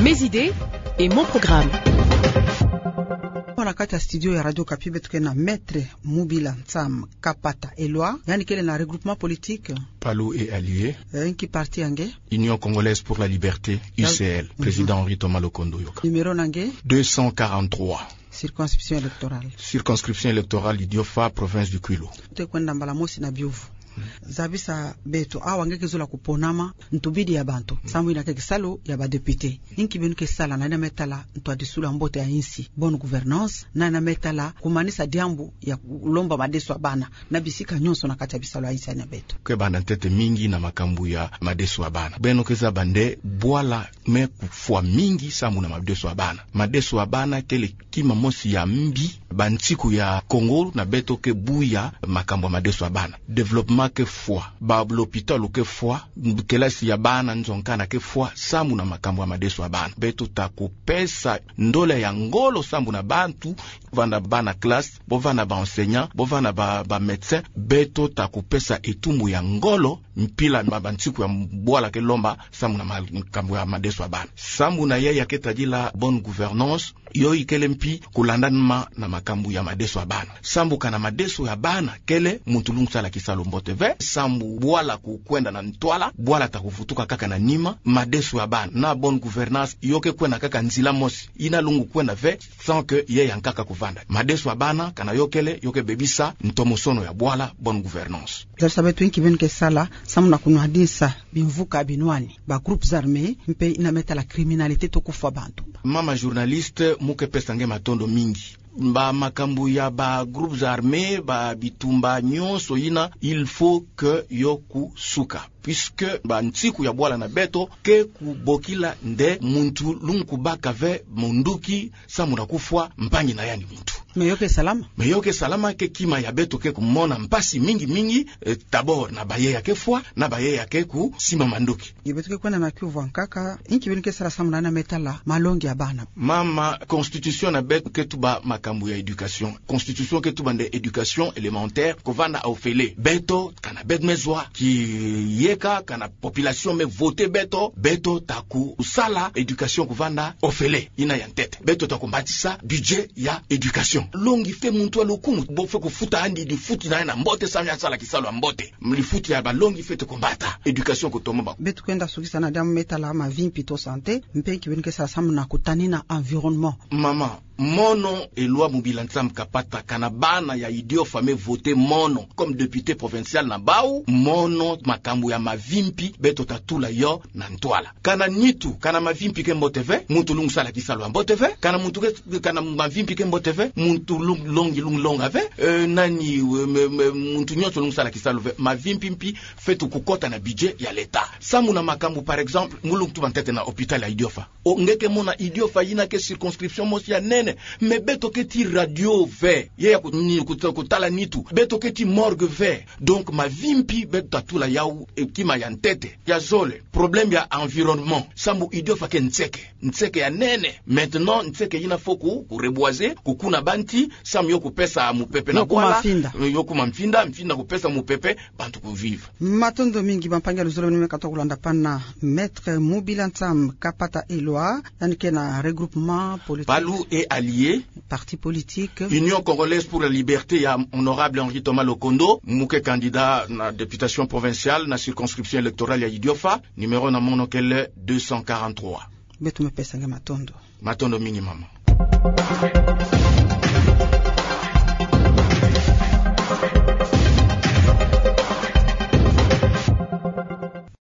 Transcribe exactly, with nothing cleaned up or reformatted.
Mes idées et mon programme. Awa na kati ya studio ya Radio Okapi beto ke na Maître Mubila Nsamu Kapata Eloi, yandi kele na regroupement politique Palu et Alliés. Eh, inki parti ya nge? Union Congolaise pour la Liberté, U C L. Mhm. Président Henri Thomas Lokondo Yoka. Numéro na nge? Deux cent quarante-trois. Circonscription électorale. Circonscription électorale Idiofa, province du Kwilu. Tukwenda mbala mosi na biyuvu. Zabisa beto, awa nge ke zola kuponama ntubidi ya bantu, samu ina ke kisalu ya ba députés. Inki beno ke sala na ina me tala ntwadisulu ya mbote ya insi, bonne gouvernance, na ina me tala kumanisa diambu ya kulomba madeso ya bana na bisika nyonso na kati ya bisalu ya insi ya beto? Ke banda ntete mingi na makambu ya madeso ya bana. Beno ke zaba nde bwala me kufwa mingi samu na madeso ya bana. Madeso ya bana kele kima mosi ya mbi. Bansiku ya Kongo na beto ke buya makambu ya madeso ya bana. Développement ke fwa, ba l'hôpital ke fwa, kelasi ya bana nzonzana ke fwa, samu na makambu ya madeso ya bana. Beto ta kupesa ndola ya ngolo samu na bantu vanda bana classe, bo vanda ba enseignants, bo vanda ba, ba médecins, beto ta kupesa etumbu ya ngolo, mpila ma bansiku ya bwala ke lomba, samu na makambu ya madeso ya bana. Samu na yaya ke tadila bonne gouvernance, yo ikele mpi kulandanama na makambu ya madeso ya bana. Samu kana madeso ya bana kele, muntu lungu sala kisalu mbote ve, samu bwala kukwenda na ntwala, bwala ta kuvutuka kaka na nima, madeso ya bana na bonne gouvernance yo ke kwenda kaka nzila mosi, ina lungu kwenda ve, sans que yaya nkaka kuvanda. Madeso ya bana, kana yo kele, yo ke bebisa ntomosono ya bwala, bonne gouvernance. Zabisa beto inki beno ke sala samu na kunwadisa bimvuka binwani, ba groupes armés, mpe ina me tala criminalité to kufwa bantu. Mama journaliste, mu ke pesa nge matondo mingi. Ba makambu ya ba groupes armés, ba bitumba nyonso ina, il faut que yo kusuka. Puisque bansiku ya bwala na beto ke kubokila nde muntu lungu kubaka ve munduki samu na kufwa mpangi na yandi muntu. Mais yo ke salama? Mais yo ke salama, ke kima ya beto ke kumona mpasi mingi mingi, eh, d'abord na ba yaya ke fwa, na ba yaya ke kusimba manduki. Nge beto ke kwenda na kiuvu ya nkaka, inki beno ke sala samu na ina me tala malongi ya bana? Mama, constitution na beto ke tuba makambu ya éducation. Constitution ke tuba nde éducation élémentaire, kuvanda ofele. Beto, kana beto me zwa kiyeka, kana population me voter beto, beto ta kusala éducation kuvanda ofele. Ina ya ntete. Beto ta kumbatisa budget ya éducation. Longi fwe muntu alukumu, bo fwe kufuta yandi lifuti na yandi ya mbote, samu yandi sala kisalu ya mbote. Lifuti ya ba longi fwe te kumbata. Éducation kutomo ba. Beto kwenda sukisa na diambu me tala mavimpi to santé, mpe inki beno ke sala samu na kutanina environnement? Mama, mono Eloi Mubila Nsamu Kapata, kana bana ya Idiofa me voter mono comme député provincial na bau, mono makambu ya mavimpi beto ta tula yo na ntwala. Kana nitu, kana mavimpi ke mbote ve, muntu lungu sala kisalu ya mbote ve, kana muntu ke, kana mavimpi ke mbote ve, muntu lung-, longi lungu longa ve, eh, nani, eh, me, me, muntu nyonso lungu sala kisalu ve, mavimpi mpi fetu kukota na budget ya l'État. Samu na makambu, par exemple, mu lungu tuba ntete na hôpital ya Idiofa. O, nge ke mona Idiofa ina ke circonscription mosi ya nene, mais beto ke tii radio ve, ye ya ku-, ni-, kuta-, kutala nitu, beto ke tii morgue ve. Donc, mavimpi beto ta tula yau, eh, kima ya ntete. Ya zole, problème ya environnement. Samu Idiofa ke nseke. Nseke ya nene. Maintenant, nseke ina fwe ku, ku reboiser, kukuna banti, samu yo kupesa mupepe na bwala. Yo kuma mfinda. Eh, yo kuma mfinda, mfinda kupesa mupepe, bantu ku vivre. Matondo mingi, bampangi ya luzolo beno me katuka kulanda pana Maître Mubila Nsamu Kapata Eloi, yandi ke na regroupement politique. Palu et Alliés. Parti politique. Union Congolaise pour la Liberté ya Honorable Henri Thomas Lokondo, mu ke candidat na députation provinciale na circonscription électorale ya Idiofa, numéro na mono kele deux cent quarante-trois. Beto me pesa nge matondo. Matondo mingi, mama.